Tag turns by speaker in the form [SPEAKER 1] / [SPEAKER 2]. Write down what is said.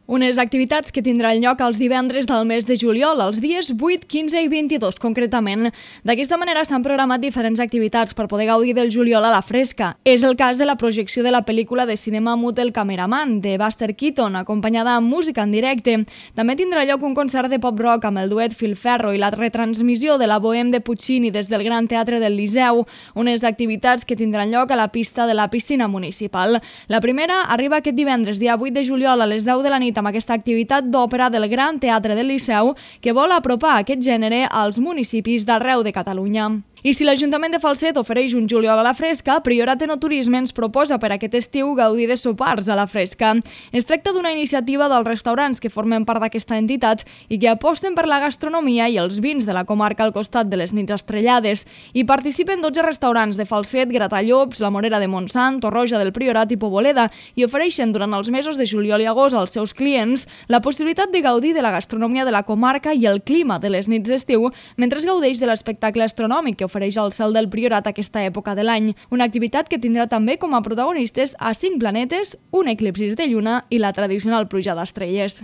[SPEAKER 1] Unes activitats que tindran lloc els divendres del mes de juliol, els dies 8, 15 i 22 concretament. D'aquesta manera s'han programat diferents activitats per poder gaudir del juliol a la fresca. És el cas de la projecció de la pel·lícula de cinema mut El cameraman, de Buster Keaton, acompanyada amb música en directe. També tindrà lloc un concert de pop-rock amb el duet Filferro i la retransmissió de la Bohème de Puccini des del Gran Teatre del Liceu, unes activitats que tindran lloc a la pista de la piscina municipal. La primera arriba aquest divendres, dia 8 de juliol, a les 10 de la nit, amb aquesta activitat d'òpera del Gran Teatre del Liceu que vol apropar aquest gènere als municipis d'arreu de Catalunya. I si l'Ajuntament de Falset ofereix un juliol a la fresca, Priorat Enoturisme ens proposa per aquest estiu gaudir de sopars a la fresca. Es tracta d'una iniciativa dels restaurants que formen part d'aquesta entitat i que aposten per la gastronomia i els vins de la comarca al costat de les nits estrellades. Hi participen 12 restaurants de Falset, Gratallops, La Morera de Montsant, Torroja del Priorat i Poboleda i ofereixen durant els mesos de juliol i agost als seus clients la possibilitat de gaudir de la gastronomia de la comarca i el clima de les nits d'estiu mentre es gaudeix de l'espectacle astronòmic que ofereix el cel del Priorat aquesta època de l'any. Una activitat que tindrà també com a protagonistes a 5 planetes, un eclipsis de lluna i la tradicional pluja d'estrelles.